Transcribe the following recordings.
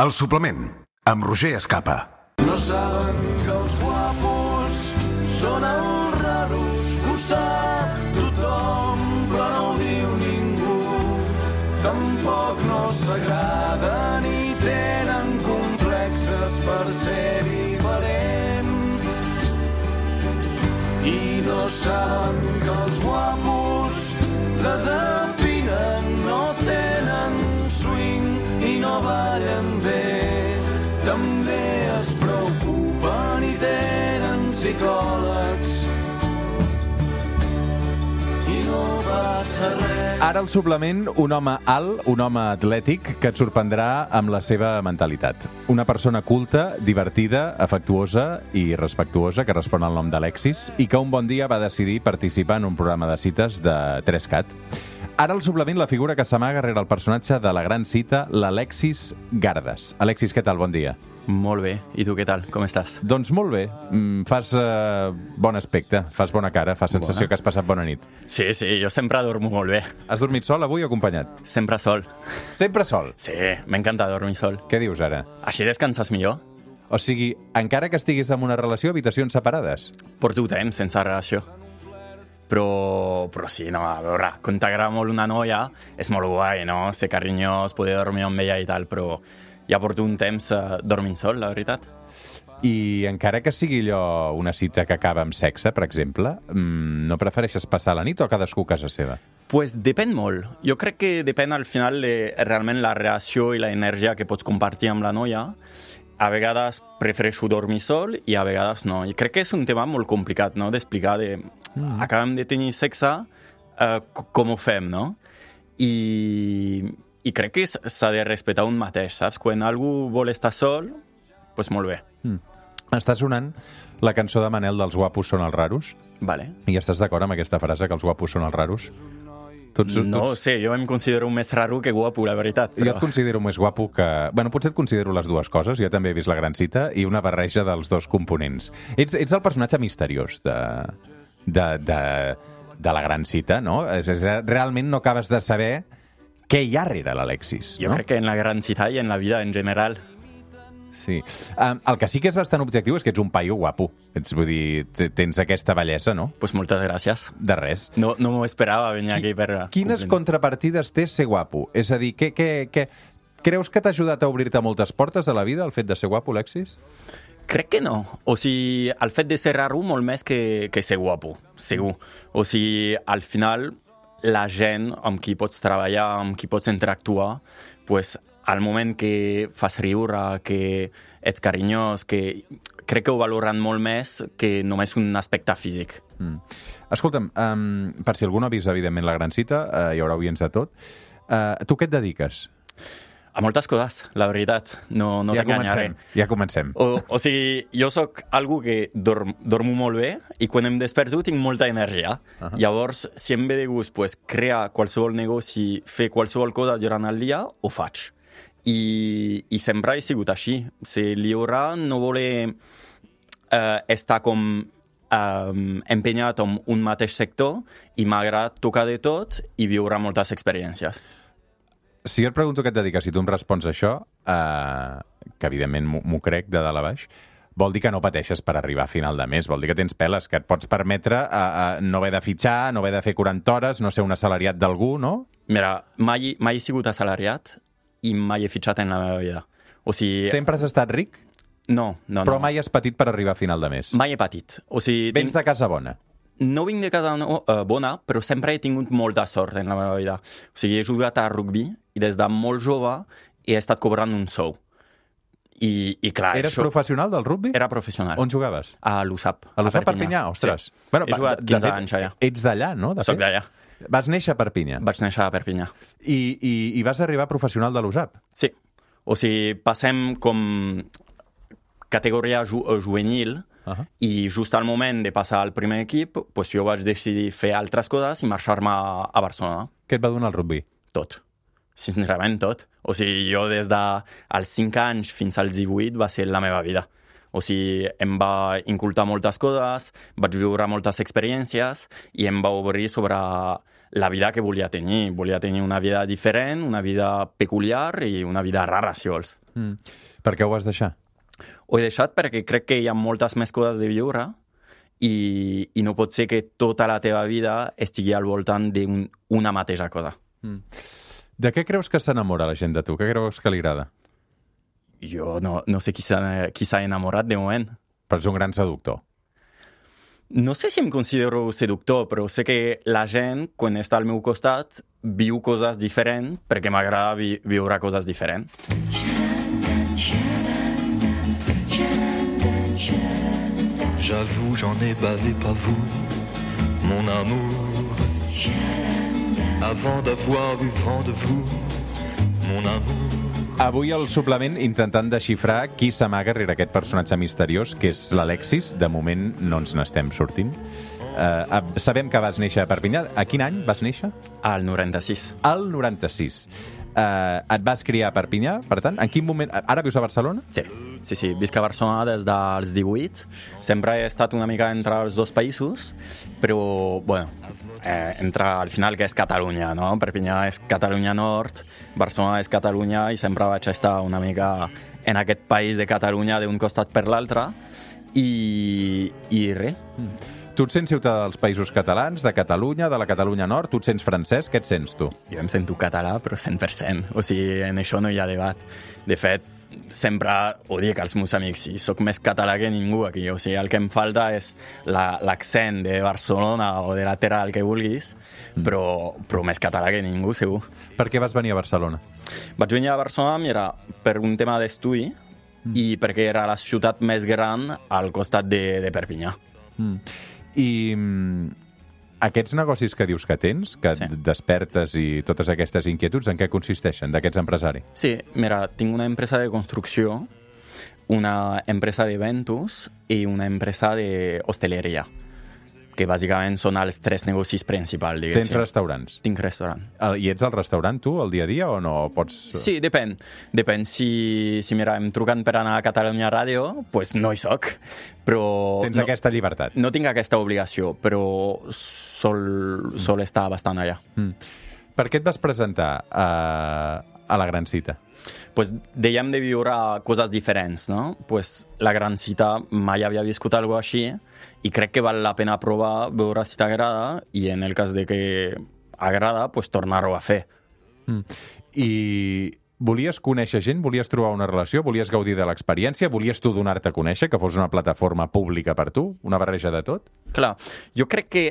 El suplement, amb Roger Escapa. No saben que els guapos són els raros, ho sap tothom, però no ho diu ningú. Tampoc no s'agraden i tenen complexes per ser diferents. I no saben que els guapos desafinen, no tenen swing i no ballen bé. També es preocupen i tenen psicòlegs i no passa res. Ara al suplement, un home alt, un home atlètic que et sorprendrà amb la seva mentalitat. Una persona culta, divertida, afectuosa i respectuosa que respon al nom d'Alexis i que un bon dia va decidir participar en un programa de cites de 3CAT. Ara al suplement la figura que s'amaga rere el personatge de la gran cita, l'Alexis Gardes. Alexis, què tal? Bon dia. Molt bé. I tu què tal? Com estàs? Doncs molt bé. Fas bon aspecte, fas bona cara, fas sensació que has passat bona nit. Sí, jo sempre dormo molt bé. Has dormit sol avui o acompanyat? Sempre sol. Sempre sol? Sí, m'encanta dormir sol. Què dius ara? Així descanses millor. O sigui, encara que estiguis en una relació, habitacions separades? Porto temps sense relació. Però sí, no, a veure, quan t'agrada molt una noia, és molt guai, no? Ser carinyós, poder dormir amb ella i tal, però ja porto un temps dormint sol, la veritat. I encara que sigui allò una cita que acaba amb sexe, per exemple, no prefereixes passar la nit o cadascú a casa seva? Pues depèn molt. Jo crec que depèn al final de realment la relació i l'energia que pots compartir amb la noia. A vegades prefereixo dormir sol i a vegades no. I crec que és un tema molt complicat, no?, d'explicar acabem de tenir sexe, com ho fem, no? I crec que s'ha de respectar un mateix, saps? Quan algú vol estar sol, doncs molt bé. Està sonant la cançó de Manel dels guapos són els raros. Vale. I estàs d'acord amb aquesta frase, que els guapos són els raros? No ho sé, jo em considero més raro que guapo, la veritat. Però... Jo et considero més guapo que... Bueno, potser et considero les dues coses. Jo també he vist La gran cita i una barreja dels dos components. Ets el personatge misteriós de La gran cita, no? Realment no acabes de saber què hi ha rere l'Alexis. Jo crec que en La gran cita i en la vida en general. Sí. El que sí que és bastant objectiu és que ets un paio guapo. Vull dir, tens aquesta bellesa, no? Pues moltes gràcies. De res. No m'ho esperava venir aquí per... Quines contrapartides té ser guapo? És a dir, creus que t'ha ajudat a obrir-te moltes portes a la vida, el fet de ser guapo, Alexis? Crec que no. O sigui, el fet de ser raro molt més que ser guapo, segur. O sigui, al final, la gent amb qui pots treballar, amb qui pots interactuar, pues, al moment que fas riure, que ets carinyós, que crec que ho valoren molt més que només un aspecte físic. Escolta'm, per si algú no ha vist, evidentment, La gran cita, hi haurà oients de tot. Tu què et dediques? A moltes coses, la veritat. No t'enganyaré. Ja comencem. O sigui, jo sóc algú que dormo molt bé i quan em desperto tinc molta energia. Llavors, si em ve de gust crear qualsevol negoci, fer qualsevol cosa durant el dia, ho faig. I sempre he sigut així. Ser lliure no voler estar com empenyat en un mateix sector i m'agrada tocar de tot i viure moltes experiències. Si jo et pregunto què et dediques, si tu em respons això, que evidentment m'ho crec de dalt a baix, vol dir que no pateixes per arribar a final de mes, vol dir que tens peles, que et pots permetre no haver de fitxar, no haver de fer 40 hores, no ser un assalariat d'algú, no? Mira, mai he sigut assalariat i mai he fitxat en la meva vida. O sigui... Sempre has estat ric? No. Però mai has patit per arribar a final de mes? Mai he patit. O sigui, Vens de casa bona? No vinc de casa bona, però sempre he tingut molta sort en la meva vida. O sigui, he jugat a rugby i des de molt jove he estat cobrant un sou. I clar... Eres professional del rugby? Era professional. On jugaves? A l'USAP. A l'USAP Perpinyà? Ostres. Sí. Bueno, he jugat 15 anys allà. Ets d'allà, no? Soc d'allà. Vas néixer a Perpinyà? Vaig néixer a Perpinyà. I vas arribar professional de l'USAP? Sí. O sigui, passem com categoria juvenil i just al moment de passar al primer equip, doncs jo vaig decidir fer altres coses i marxar-me a Barcelona. Què et va donar el rugby? Tot. Sincerament, tot. O sigui, jo des dels 5 anys fins als 18 va ser la meva vida. O sigui, em va incultar moltes coses, vaig viure moltes experiències i em va obrir sobre la vida que volia tenir. Volia tenir una vida diferent, una vida peculiar i una vida rara, si vols. Per què ho vas deixar? Ho he deixat perquè crec que hi ha moltes més coses de viure i no pot ser que tota la teva vida estigui al voltant d'una mateixa cosa. De què creus que s'enamora la gent de tu? Què creus que li agrada? Jo no sé qui s'ha enamorat de moment. Però ets un gran seductor. No sé si em considero seductor, però sé que la gent, quan està al meu costat, viu coses diferents perquè m'agrada viure coses diferents. J'avoue, j'en ai bavé pas vous, mon amour. Avant d'avoir eu vent de vous, mon amour. Avui al suplement intentant desxifrar qui s'amaga rere aquest personatge misteriós, que és l'Alexis. De moment no ens n'estem sortint. Sabem que vas néixer a Perpinyà. A quin any vas néixer? Al 96. Al 96. Et vas criar a Perpinyà, per tant. En quin moment... Ara vius a Barcelona? Sí. Visc a Barcelona des dels 18. Sempre he estat una mica entre els dos països, però, bueno, al final que és Catalunya, no? Perpinyà és Catalunya Nord, Barcelona és Catalunya i sempre vaig estar una mica en aquest país de Catalunya d'un costat per l'altre i res. Tu et sents ciutadà dels països catalans, de Catalunya, de la Catalunya Nord? Tu et sents francès? Què et sents, tu? Jo em sento català, però 100%. O sigui, en això no hi ha debat. De fet, sempre ho dic als meus amics, sí, soc més català que ningú aquí. O sigui, el que em falta és l'accent de Barcelona o de la terra, el que vulguis, però més català que ningú, segur. Per què vas venir a Barcelona? Vaig venir a Barcelona, mira, per un tema d'estudi i perquè era la ciutat més gran al costat de Perpinyà. I aquests negocis que dius que tens, que despertes i totes aquestes inquietuds, en què consisteixen, d'aquests empresaris? Sí, mira, tinc una empresa de construcció, una empresa d'eventos i una empresa d'hostaleria, que bàsicament són els tres negocis principals, diguéssim. Tens restaurants? Tinc restaurant. I ets al restaurant, tu, el dia a dia, o no pots...? Sí, depèn. Depèn. Si mira, em truquen per anar a Catalunya Ràdio, doncs no hi soc. Però tens aquesta llibertat? No tinc aquesta obligació, però sol estar bastant allà. Per què et vas presentar a la Gran Cita? Pues dèiem de viure coses diferents, no? Pues la Gran Cita mai havia viscut alguna cosa així i crec que val la pena provar, veure si t'agrada i en el cas de que agrada, pues tornar-ho a fer. I volies conèixer gent? Volies trobar una relació? Volies gaudir de l'experiència? Volies tu donar-te a conèixer, que fos una plataforma pública per tu? Una barreja de tot? Clar, jo crec que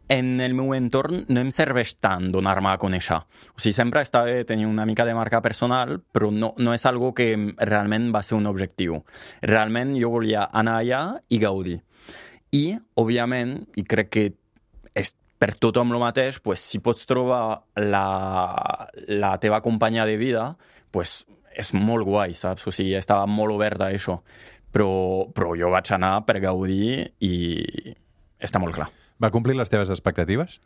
en el meu entorn no em serveix tant donar-me a conèixer. O sigui, sempre està bé tenir una mica de marca personal, però no és algo que realment va ser un objectiu. Realment jo volia anar allà i gaudir. I, òbviament, i crec que és per tothom el mateix, pues, si pots trobar la teva companya de vida, pues, és molt guai, saps? O sigui, estava molt oberta a això. Però jo vaig anar per gaudir i està molt clar. Va complir les teves expectatives?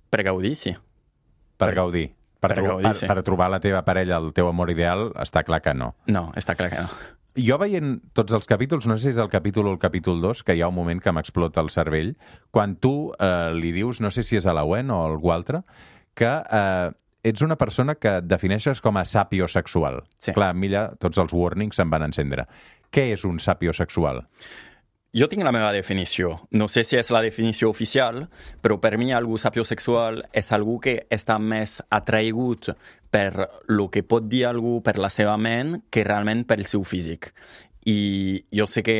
Per gaudir, sí. Per gaudir. Per trobar la teva parella, el teu amor ideal, està clar que no. No, està clar que no. Jo veient tots els capítols, no sé si és el capítol o el capítol 2, que hi ha un moment que m'explota el cervell, quan tu li dius, no sé si és a la Wen o a algú altre, que ets una persona que et defineixes com a sapiosexual. Sí. Clar, a mi allà tots els warnings se'n van encendre. Què és un sapiosexual? Jo tinc la meva definició. No sé si és la definició oficial, però per mi algú sapiosexual és algú que està més atraïgut per el que pot dir algú per la seva ment que realment pel seu físic. I jo sé que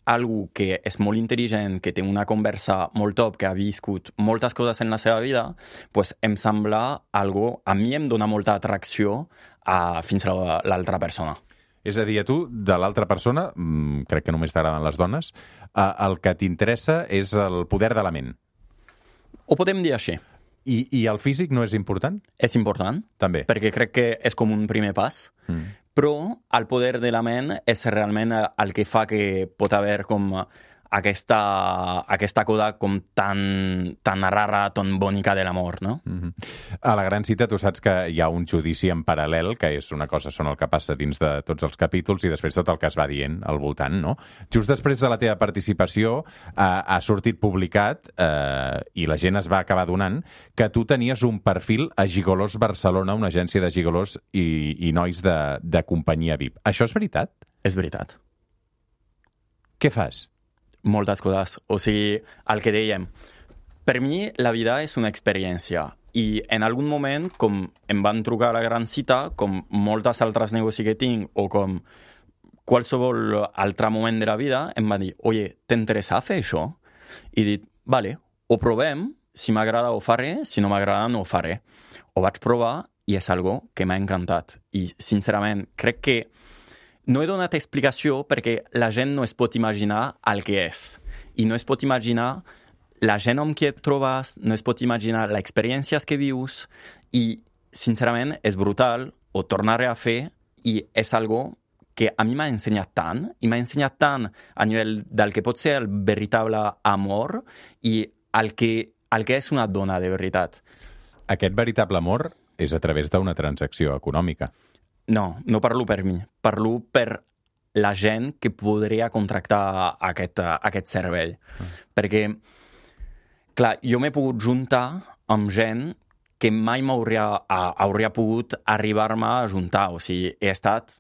algú que és molt intel·ligent, que té una conversa molt top, que ha viscut moltes coses en la seva vida, pues em sembla algo, a mi em dona molta atracció fins a l'altra persona. És a dir, a tu, de l'altra persona, crec que només t'agraden les dones, el que t'interessa és el poder de la ment. Ho podem dir així. I el físic no és important? És important. També. Perquè crec que és com un primer pas. Però el poder de la ment és realment el que fa que pot haver com aquesta cosa com tan rara, tan bonica de l'amor, no? A la gran cita tu saps que hi ha un judici en paral·lel, que és una cosa són el que passa dins de tots els capítols i després tot el que es va dient al voltant, no? Just després de la teva participació ha sortit publicat i la gent es va acabar donant que tu tenies un perfil a Gigolos Barcelona, una agència de gigolos i nois de companyia VIP. Això és veritat? És veritat. Què fas? Moltes coses. O sigui, el que dèiem, per mi la vida és una experiència i en algun moment, com em van trucar a la gran cita, com moltes altres negocis que tinc o com qualsevol altre moment de la vida, em va dir, oye, t'interessa fer això? I he dit, vale, ho provem, si m'agrada ho faré, si no m'agrada no ho faré. Ho vaig provar i és algo que m'ha encantat. I, sincerament, crec que no he donat explicació perquè la gent no es pot imaginar el que és. I no es pot imaginar la gent amb qui et trobes, no es pot imaginar les experiències que vius i, sincerament, és brutal, ho tornaré a fer i és algo que a mi m'ha ensenyat tant, i m'ha ensenyat tant a nivell del que pot ser el veritable amor i el que és una dona de veritat. Aquest veritable amor és a través d'una transacció econòmica. No, no parlo per mi. Parlo per la gent que podria contractar aquest servei. Perquè, clar, jo m'he pogut juntar amb gent que mai hauria pogut arribar-me a juntar. O sigui, he estat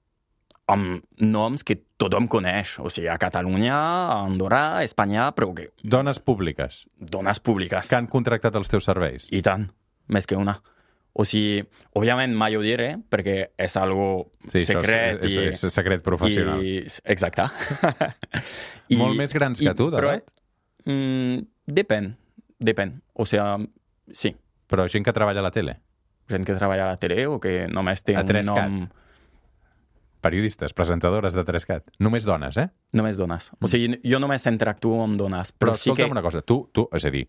amb noms que tothom coneix. O sigui, a Catalunya, a Andorra, a Espanya, però que... Dones públiques. Dones públiques. Que han contractat els teus serveis. I tant, més que una. O sigui, òbviament mai ho diré, perquè és algo secret. És secret professional. Exacte. Molt més grans que tu, d'edat? Depèn. O sigui, sí. Però gent que treballa a la tele? Gent que treballa a la tele o que només té un nom... Periodistes, presentadores de 3CAT. Només dones, eh? Només dones. O sigui, jo només interactuo amb dones. Però escolta'm una cosa, tu, és a dir,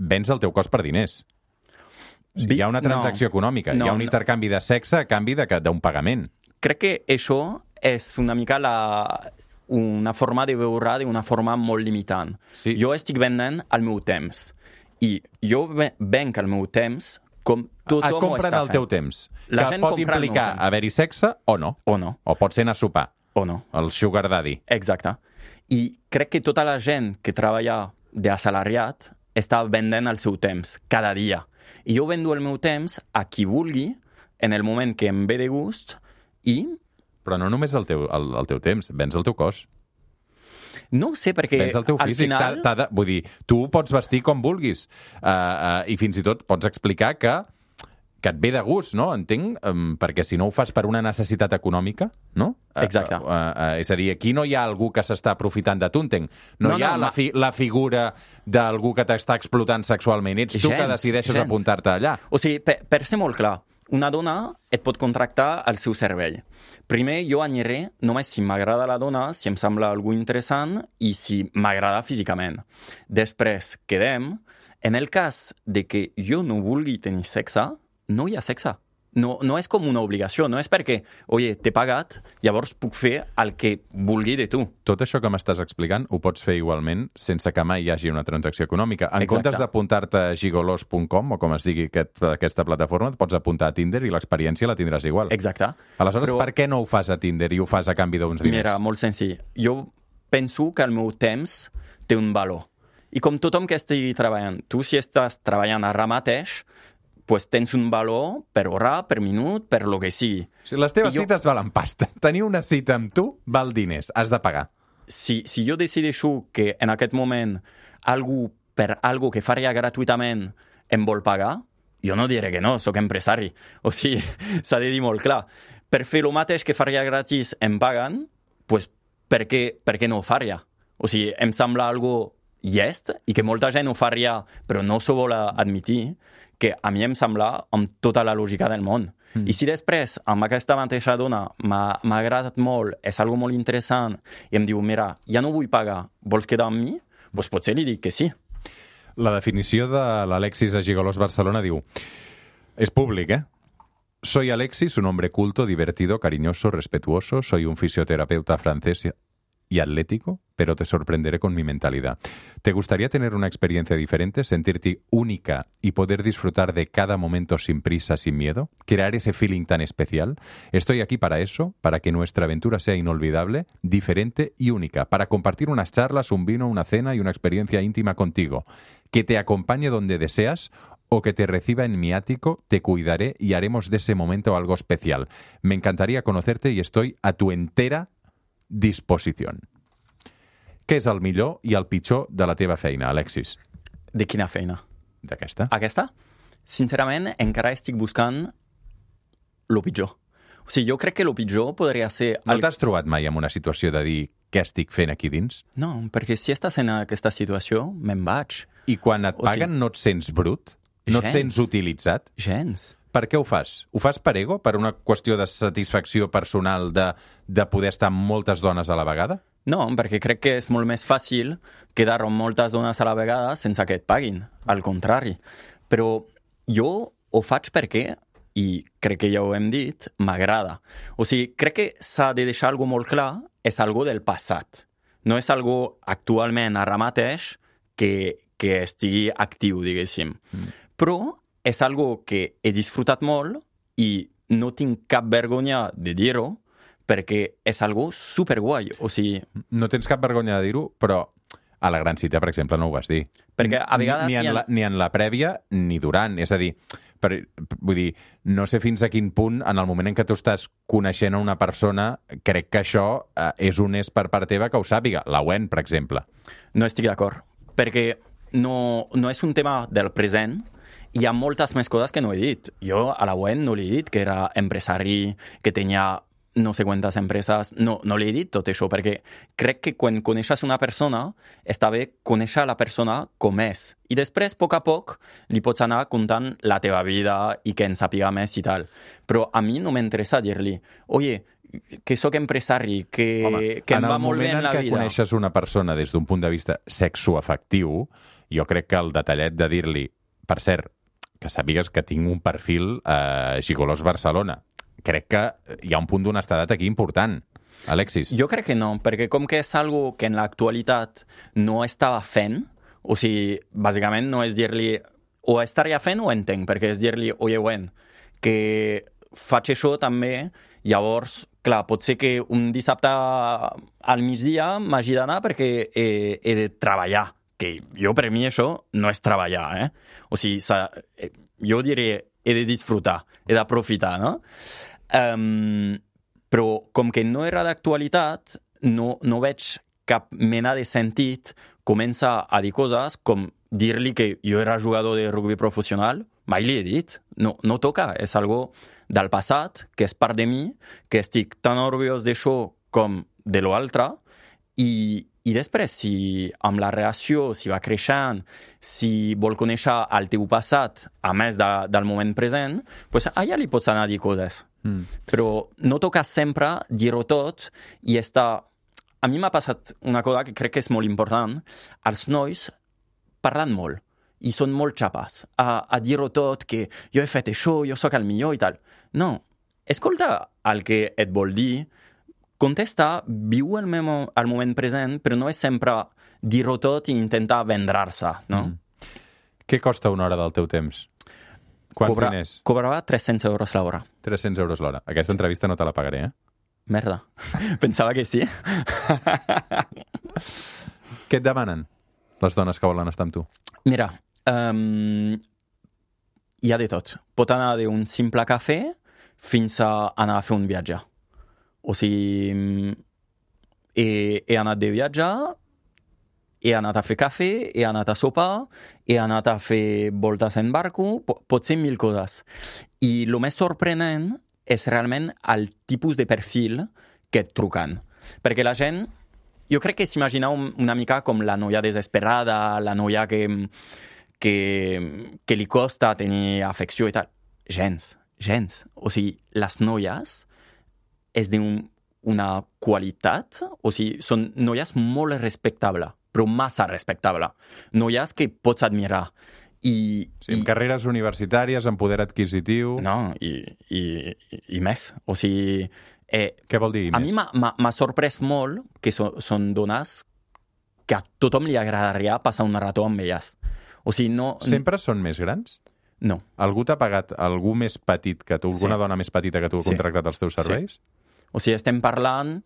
vens el teu cos per diners. O sigui, hi ha una transacció econòmica, hi ha un intercanvi de sexe a canvi d'un pagament. Crec que això és una mica una forma de veure d'una forma molt limitant. Sí. Jo estic venent el meu temps. I jo venc el meu temps com tothom ho està fent. El teu temps. La que pot implicar haver-hi sexe o no. O no. O pot ser anar a sopar. O no. El sugar daddy. Exacte. I crec que tota la gent que treballa d'assalariat està vendent el seu temps cada dia. I jo vendo el meu temps a qui vulgui, en el moment que em ve de gust, i... Però no només el teu temps, vens el teu cos. No ho sé, perquè vens el teu físic. Al final... Vull dir, tu pots vestir com vulguis. I fins i tot pots explicar que et ve de gust, no? Entenc, perquè si no ho fas per una necessitat econòmica, no? Exacte. És a dir, aquí no hi ha algú que s'està aprofitant de tu, entenc. No hi ha la figura d'algú que t'està explotant sexualment. Ets tu que decideixes apuntar-te allà. O sigui, per ser molt clar, una dona et pot contractar al seu servei. Primer, jo aniré només si m'agrada la dona, si em sembla algú interessant i si m'agrada físicament. Després, quedem. En el cas de que jo no vulgui tenir sexe, no hi ha sexe. No és com una obligació, no és perquè, oye, t'he pagat, llavors puc fer el que vulgui de tu. Tot això que m'estàs explicant ho pots fer igualment sense que mai hi hagi una transacció econòmica. En comptes d'apuntar-te a gigolos.com, o com es digui aquesta plataforma, et pots apuntar a Tinder i l'experiència la tindràs igual. Exacte. Aleshores, per què no ho fas a Tinder i ho fas a canvi d'uns diners? Mira, molt senzill. Jo penso que el meu temps té un valor. I com tothom que estigui treballant, tu si estàs treballant ara mateix, pues tens un valor per hora, per minut, per lo que sigui. Si les teves cites valen pasta. Tenir una cita amb tu val diners. Has de pagar. Si jo decideixo que en aquest moment algú per algo que faria gratuïtament em vol pagar, jo no diré que no, sóc empresari. O sigui, s'ha de dir molt clar. Per fer el mateix que faria gratis em paguen, pues per què no ho faria? O sigui, em sembla algo llest i que molta gent ho faria però no s'ho vol admitir, que a mi em sembla amb tota la lògica del món. I si després, amb aquesta mateixa dona, m'ha agradat molt, és algo molt interessant, i em diu, mira, ja no vull pagar, vols quedar amb mi? Doncs potser li dic que sí. La definició de l'Alexis a Gigolos Barcelona diu, és públic, Soy Alexis, un hombre culto, divertido, cariñoso, respetuoso, soy un fisioterapeuta francés y atlético, pero te sorprenderé con mi mentalidad. ¿Te gustaría tener una experiencia diferente, sentirte única y poder disfrutar de cada momento sin prisa, sin miedo? ¿Crear ese feeling tan especial? Estoy aquí para eso, para que nuestra aventura sea inolvidable, diferente y única, para compartir unas charlas, un vino, una cena y una experiencia íntima contigo. Que te acompañe donde deseas o que te reciba en mi ático, te cuidaré y haremos de ese momento algo especial. Me encantaría conocerte y estoy a tu entera disposició. Què és el millor i el pitjor de la teva feina, Alexis? De quina feina? D'aquesta? Aquesta? Sincerament, encara estic buscant lo pitjor. O sigui, jo crec que lo pitjor podria ser... No t'has trobat mai en una situació de dir què estic fent aquí dins? No, perquè si estàs en aquesta situació, me'n vaig. I quan et paguen no et sents brut? No et sents utilitzat? Gens. Per què ho fas? Ho fas per ego? Per una qüestió de satisfacció personal de poder estar amb moltes dones a la vegada? No, perquè crec que és molt més fàcil quedar amb moltes dones a la vegada sense que et paguin. Al contrari. Però jo ho faig perquè, i crec que ja ho hem dit, m'agrada. O sigui, crec que s'ha de deixar algo molt clar, és algo del passat. No és algo actualment ara mateix que estigui actiu, diguéssim. Però és algo que he disfrutat molt i no tinc cap vergonya de dir-ho, perquè és algo superguai. O sigui... No tens cap vergonya de dir-ho, però a la Gran Cita, per exemple, no ho vas dir. Perquè a vegades... Ni en la prèvia, ni durant. És a dir, vull dir, no sé fins a quin punt, en el moment en què tu estàs coneixent a una persona, crec que això és honest per part teva que ho sàpiga. La Wen, per exemple. No estic d'acord, perquè no és un tema del present. Hi ha moltes més coses que no he dit. Jo a la Wen no li he dit que era empresari, que tenia no sé quantes empreses. No li he dit tot això, perquè crec que quan coneixes una persona, està bé conèixer la persona com és. I després, a poc, li pots anar contant la teva vida i que en sàpiga més i tal. Però a mi no m'interessa dir-li, oye, que sóc empresari, que em va molt bé en la vida. En el moment en què coneixes una persona des d'un punt de vista sexoafectiu, jo crec que el detallet de dir-li, per cert, que sàpigues que tinc un perfil a Gigolos Barcelona. Crec que hi ha un punt d'honestedat aquí important. Alexis? Jo crec que no, perquè com que és algo que en l'actualitat no estava fent, o sigui, bàsicament no és dir-li o estaria fent o entenc, perquè és dir-li, oye, Wen, que faig això també, llavors, clar, pot ser que un dissabte al migdia m'hagi d'anar perquè he de treballar, que jo per mi això no és treballar, O sigui, jo diré, he de disfrutar, he d'aprofitar, no? Però com que no era d'actualitat, no veig cap mena de sentit començar a dir coses com dir-li que jo era jugador de rugby professional, mai li he dit, no toca, és algo del passat, que és part de mi, que estic tan orgullós d'això com de l'altre, i després, si amb la relació, si va creixent, si vol conèixer el teu passat, a més del moment present, doncs allà li pots anar a dir coses. Però no toca sempre dir-ho tot i estar... A mi m'ha passat una cosa que crec que és molt important. Els nois parlen molt i són molt xapes a dir-ho tot, que jo he fet això, jo sóc el millor i tal. No, escolta el que et vol dir, contesta, viu el moment present, però no és sempre dir-ho tot i intentar vendre-se, no? Què costa una hora del teu temps? Quants diners? Cobrava 300 euros l'hora. 300 euros l'hora. Aquesta entrevista no te la pagaré, Merda. Pensava que sí. Què et demanen les dones que volen estar amb tu? Mira, hi ha de tot. Pot anar d'un simple cafè fins a anar a fer un viatge. O sigui, he anat de viatjar, he anat a fer cafè, he anat a sopar, he anat a fer voltes en barco, pot ser 1000 coses. I el més sorprenent és realment el tipus de perfil que et truquen. Perquè la gent, jo crec que s'imagina una mica com la noia desesperada, la noia que li costa tenir afecció i tal. Gens. O sigui, les noies és d'una qualitat, o sigui, són noies molt respectables, però massa respectables. Noies que pots admirar. Amb carreres universitàries, amb poder adquisitiu... No, i més. O sigui, Què vol dir a més? mi m'ha sorprès molt que són dones que a tothom li agradaria passar una rató amb elles. O sigui, no... Sempre són més grans? No. Algú t'ha pagat, algú més petit que tu, alguna dona més petita que tu ha contractat els teus serveis? Sí. O sigui, estem parlant,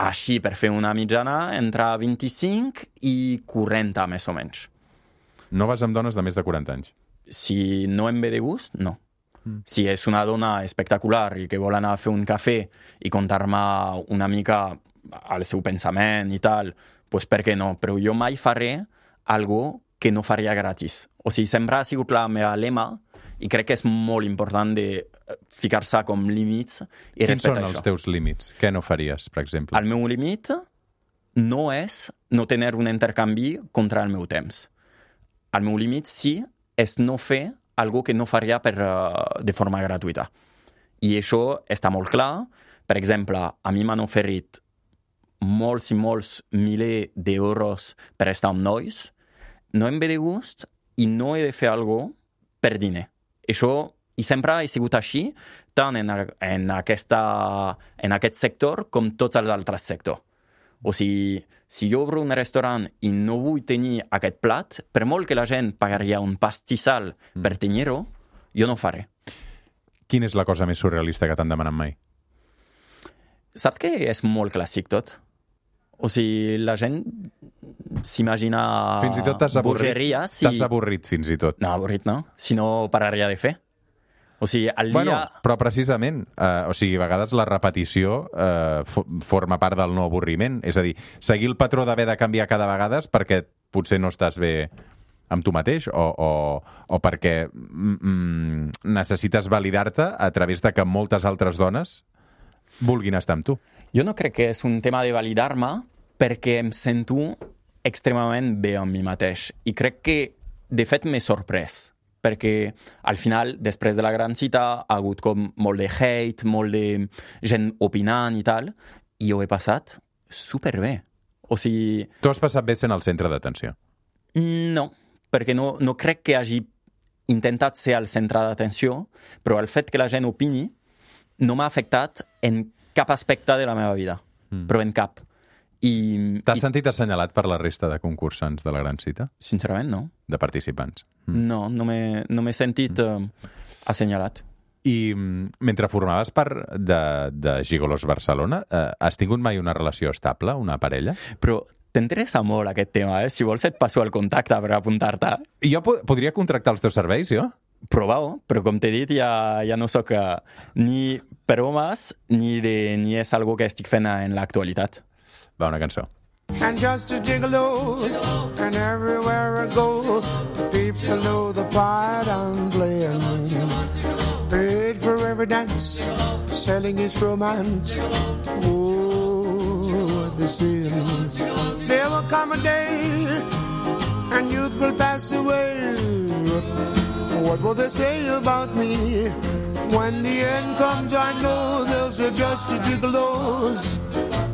així per fer una mitjana, entre 25 i 40, més o menys. No vas amb dones de més de 40 anys? Si no em ve de gust, no. Si és una dona espectacular i que vol anar a fer un cafè i contar-me una mica el seu pensament i tal, doncs per què no? Però jo mai faré algo que no faria gratis. O sigui, sempre ha sigut la meva lema i crec que és molt important de ficar-se com límits i respectar això. Quins són els teus límits? Què no faries, per exemple? El meu límit no és no tenir un intercanvi contra el meu temps. El meu límit sí és no fer algo que no faria de forma gratuïta. I això està molt clar. Per exemple, a mi m'han oferit molts i molts milers d'euros per estar amb nois. No em ve de gust i no he de fer algo per diner. Això, i sempre ha sigut així, tant en aquest sector com tots els altres sectors. O sigui, si jo obro un restaurant i no vull tenir aquest plat, per molt que la gent pagaria un pastissal per tenir-ho, jo no ho faré. Quina és la cosa més surrealista que t'han demanat mai? Saps que és molt clàssic tot? O sigui, la gent s'imagina fins i tot t'has avorrit, bogeries. T'has avorrit, fins i tot. No, avorrit no. Si no pararia de fer. O sigui, el dia... Bueno, però precisament, o sigui, a vegades la repetició forma part del no avorriment. És a dir, seguir el patró d'haver de canviar cada vegada perquè potser no estàs bé amb tu mateix o perquè necessites validar-te a través de que moltes altres dones vulguin estar amb tu. Jo no crec que és un tema de validar-me perquè em sento extremament bé amb mi mateix. I crec que, de fet, m'he sorprès. Perquè al final, després de la gran cita, ha hagut com molt de hate, molt de gent opinant i tal, i ho he passat superbé. O sigui... Tu has passat bé sent el centre d'atenció? No, perquè no crec que hagi intentat ser el centre d'atenció, però el fet que la gent opini no m'ha afectat en cap aspecte de la meva vida, però en cap. T'has sentit assenyalat per la resta de concursants de la gran cita? Sincerament, no. De participants? No m'he sentit assenyalat. I mentre formaves part de Gigolos Barcelona, has tingut mai una relació estable, una parella? Però t'interessa molt aquest tema, eh? Si vols et passo el contacte per apuntar-te. Jo podria contractar els teus serveis, jo? Prova-ho, però com t'he dit, ja no sóc ni per homes ni és algo que estic fent en l'actualitat. Va, una cançó. And just a gigolo, and everywhere I go, people know the part I'm playing. Paid for every dance, selling its romance. Oh, the sin. There will come a day, and youth will pass away. What will they say about me? When the end comes, I know there's just a gigolos.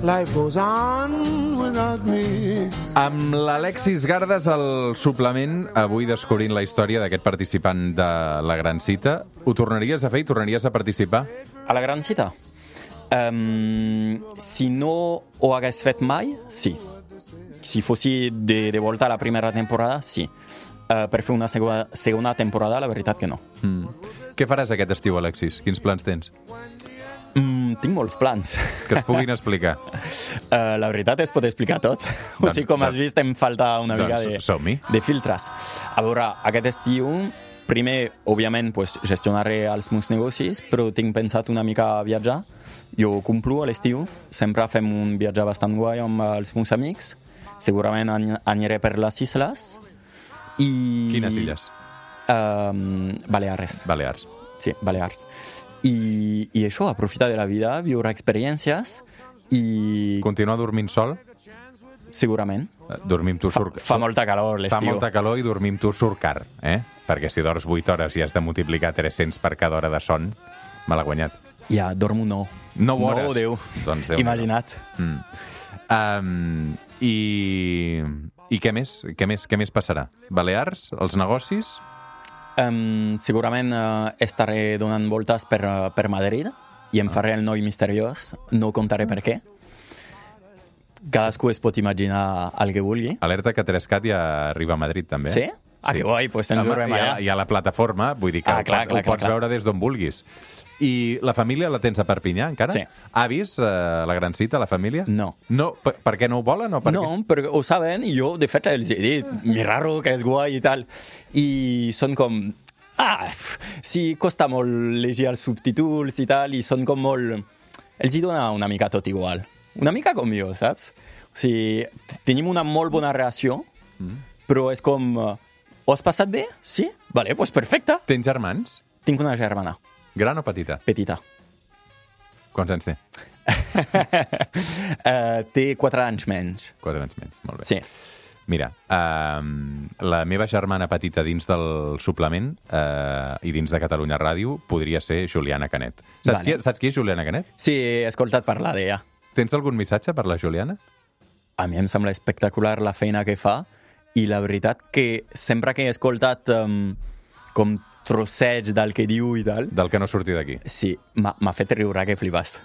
Life goes on without me. Amb l'Alexis Gardes al suplement, avui descobrint la història d'aquest participant de la Gran Cita. Ho tornaries a fer i tornaries a participar? A la Gran Cita? Si no ho hagués fet mai, sí. Si fossi de volta a la primera temporada, sí. Per fer una segona temporada, la veritat que no. Què faràs aquest estiu, Alexis? Quins plans tens? Tinc molts plans. Que es puguin explicar. La veritat es pot explicar tot. O sigui, com has vist, em falta una mica de filtres. A veure, aquest estiu, primer, òbviament, gestionaré els meus negocis, però tinc pensat una mica a viatjar. Jo complo a l'estiu, sempre fem un viatge bastant guai amb els meus amics. Segurament aniré per les isles. Quines illes? Balears. Balears. Sí, Balears. I això, aprofitar de la vida, viure experiències i... Continuar dormint sol? Segurament. Dormir amb tu surt... Fa molta calor l'estiu. Fa molta calor i dormir amb tu surt car, eh? Perquè si dors 8 hores i has de multiplicar 300 per cada hora de son, me l'ha guanyat. Ja, dormo 9. 9 hores? 9 o 10. Doncs Déu. Imagina't. I què més? Què més passarà? Balears? Els negocis? Segurament estaré donant voltes per Madrid i em faré el noi misteriós, no contaré per què. Cadascú es pot imaginar el que vulgui. Alerta que 3CAT ja arriba a Madrid, també. Sí? Ah, que guai, doncs ens veurem allà. Hi ha la plataforma, vull dir que ho pots veure des d'on vulguis. I la família la tens a Perpinyà, encara? Sí. Avis, la gran cita, la família? No. No? Per què no ho volen? O No, perquè ho saben i jo, de fet, els he dit, mi raro, que és guai i tal. I són com... sí, costa molt llegir els subtítols i tal, i són com molt... Els hi dona una mica tot igual. Una mica com jo, saps? O sigui, tenim una molt bona relació, però és com... Ho has passat bé? Sí? Vale, doncs perfecte. Tens germans? Tinc una germana. Gran o petita? Petita. Quants anys té? Té 4 anys menys. 4 anys menys, molt bé. Sí. Mira, la meva germana petita dins del suplement i dins de Catalunya Ràdio podria ser Juliana Canet. Saps qui és Juliana Canet? Sí, he escoltat parlar d'ella. Tens algun missatge per la Juliana? A mi em sembla espectacular la feina que fa i la veritat que sempre que he escoltat com trosseig del que diu i tal... Del que no surti d'aquí. Sí, m'ha fet riure que flipàs.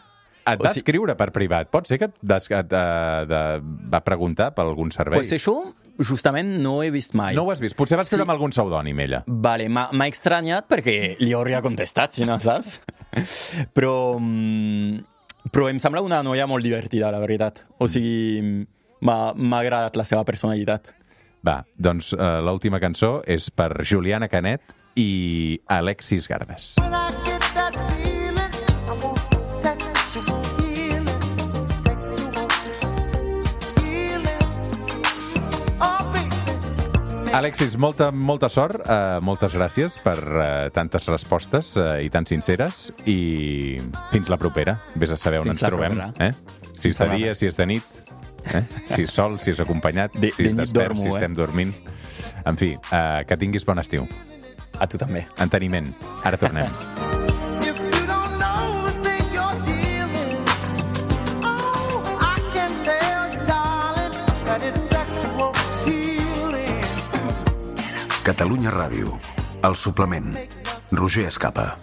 Et va escriure per privat? Pot ser que et va preguntar per algun servei? Pues això, justament, no ho he vist mai. No ho has vist? Potser va escriure amb algun pseudònim, ella. Vale, m'ha estranyat perquè li hauria contestat, si no saps. Però em sembla una noia molt divertida, la veritat. O sigui, m'ha agradat la seva personalitat. Va, doncs l'última cançó és per Juliana Canet i Alexis Gardes. Alexis, molta sort, moltes gràcies per tantes respostes i tan sinceres i fins la propera. Vés a saber on ens trobem. Si és de dia, si és de nit, si és sol, si és acompanyat, si és despert, si estem dormint. En fi, que tinguis bon estiu. A tu també. Enteniment. Ara tornem. Catalunya Ràdio. El suplement. Roger Escapa.